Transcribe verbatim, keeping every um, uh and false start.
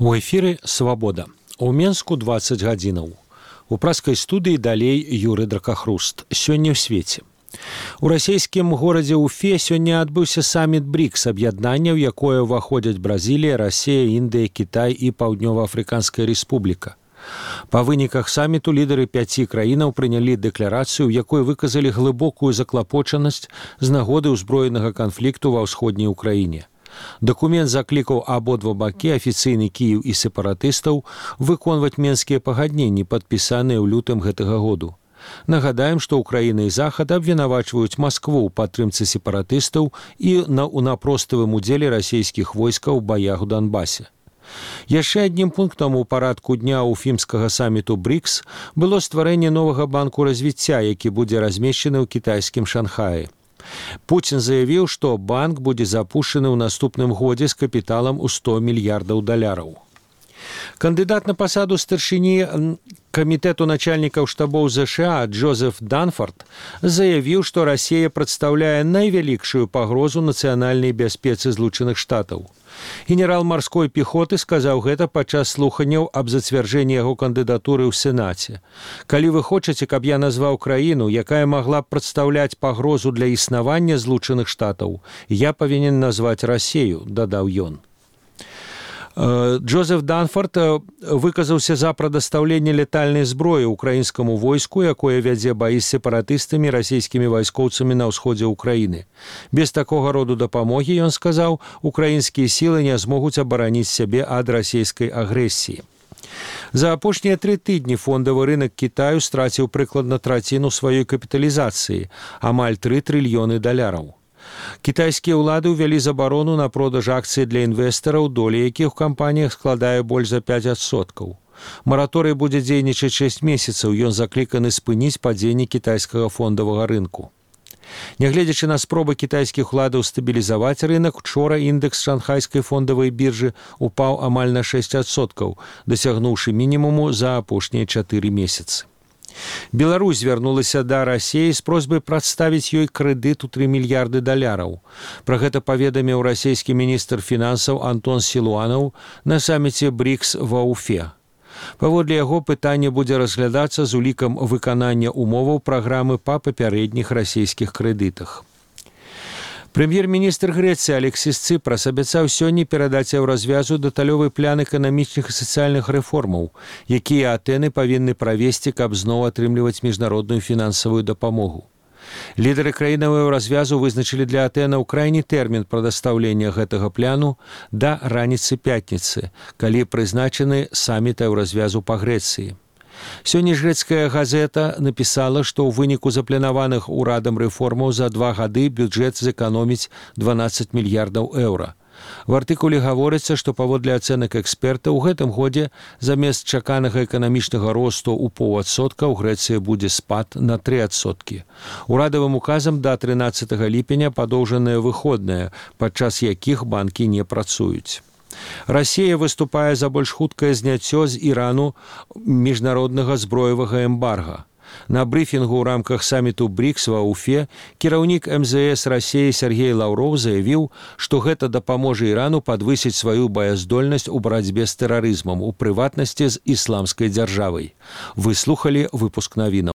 У эфіры свабода. У Менску дваццаць гадзінаў. У праскай студыі далей Юры Дракахруст. Сёння ў свеце. У расійскім горадзе Уфе сёння адбыўся саміт брикс, аб'яднання, ў якое ўваходзяць Бразілія, Расія, Індыя, Кітай і Паўднёва-Афрыканская рэспубліка. Па выніках саміту лідары пяці краінаў прынялі дэкларацыю, у якой выказалі глыбокую заклапочанасць з нагоды ўзброенага канфлікту ва ўсходняй Украіне. Дакумент заклікаў абодва бакі, афіцыйны Кіеў і сепаратыстаў, выконваць менскія пагадненні, падпісаныя ў лютым гэтага году. Нагадаем, што Украіна і Захад абвінавачваюць Маскву ў падтрымцы сепаратыстаў і на ўнапроставым удзеле расійскіх войскаў у баях у Донбасе. Яшчэ аднім пунктам у парадку дня уфімскага саміту брикс было стварэнне новага банку развіцця, які будзе размешчаны ў кітайскім Шанхаі. Пуцін заявіў, што банк будзе запушчаны ў наступным годзе з капіталам у сто мільярдаў даляраў. Кандыдат на пасаду старшыні камітэту начальнікаў штабоў ЗША Джозеф Данфорд заявіў, што Расія прадстаўляе найвялікшую пагрозу нацыянальнай бяспецы Злучаных Штатаў. Генерал марской пехоты сказаў гэта падчас слуханняў аб зацвярджэнні яго кандыдатуры ў Сенаце. Калі вы хочаце, каб я назваў краіну, якая магла б прадстаўляць пагрозу для існавання Злучаных Штатаў, я павінен назваць Расію, дадаў ён. Джозеф Данфорд выказаўся за прадастаўленне летальнай зброі ўкраінскаму войску, якое вядзе баі з сепаратыстамі расійскімі вайскоўцамі на ўсходзе ўкраіны. Без такога роду дапамогі, ён сказаў, украінскія сілы не змогуць абараніць сябе ад расійскай агрэсіі. За апошнія тры тыдні фондавы рынак Кітаю страціў прыкладна траціну сваёй капіталізацыі, амаль тры трыльёны даляраў. Кітайскія ўлады ўвялі забарону на продаж акцый для інвестараў, доля якіх у кампаніях складае больш за пяць адсоткаў. Мараторый будзе дзейнічаць шэсць месяцаў, ён закліканы спыніць падзенне кітайскага фондавага рынку. Нягледзячы на спробы кітайскіх уладаў стабілізаваць рынок, учора індэкс шанхайскай фондавай біржы упаў амаль на шэсць адсоткаў, дасягнуўшы мінімуму за апошнія чатыры месяцы. Беларусь звярнулася да Расіі з просьбай прадставіць ёй крэдыт у тры мільярды даляраў. Пра гэта паведаміў расійскі міністр фінансаў Антон Сілуанаў на саміце брикс ва Уфе. Паводле яго пытанне будзе разглядацца з улікам выканання умоваў праграмы па папярэдніх расійскіх крэдытах. Прэм'ер-міністр Грэцыі Алексіс Цыпрас абяцаў сёння перадаць еўразвязу дэталёвы план эканамічных і сацыяльных рэформаў, якія Атэны павінны правесці, каб зноў атрымліваць міжнародную фінансавую дапамогу. Лідары краінаў еўразвязу вызначылі для Атэнаў крайні тэрмін прадастаўлення гэтага пляну да раніцы пятніцы, калі прызначаны саміт еўразвязу па Грэцыі. Сёння ж грэцкая газета напісала, што ў выніку запланаваных урадам рэформаў за два гады бюджэт зэканоміць дванаццаць мільярдаў еўра. В артыкуле гаворыцца, што паводле ацэнак эксперта ў гэтым годзе замест чаканага эканамічнага росту ў паўадсотка ў Грэцыі будзе спад на тры адсоткі. Урадавым указам да трынаццатага ліпеня падоўжаныя выходныя, падчас якіх банкі не працуюць. Расія выступае за больш хуткае зняццё з Ірану міжнароднага зброевага эмбарга. На брыфінгу ў рамках саміту брикс ва Уфе кіраўнік эм зэ эс Расіі Сергей Лаўроў заявіў, што гэта дапаможа Ірану падвысіць сваю баяздольнасць у барацьбе з тэрарызмам, у прыватнасці з ісламскай дзяржавай. Вы слухалі выпуск навінаў.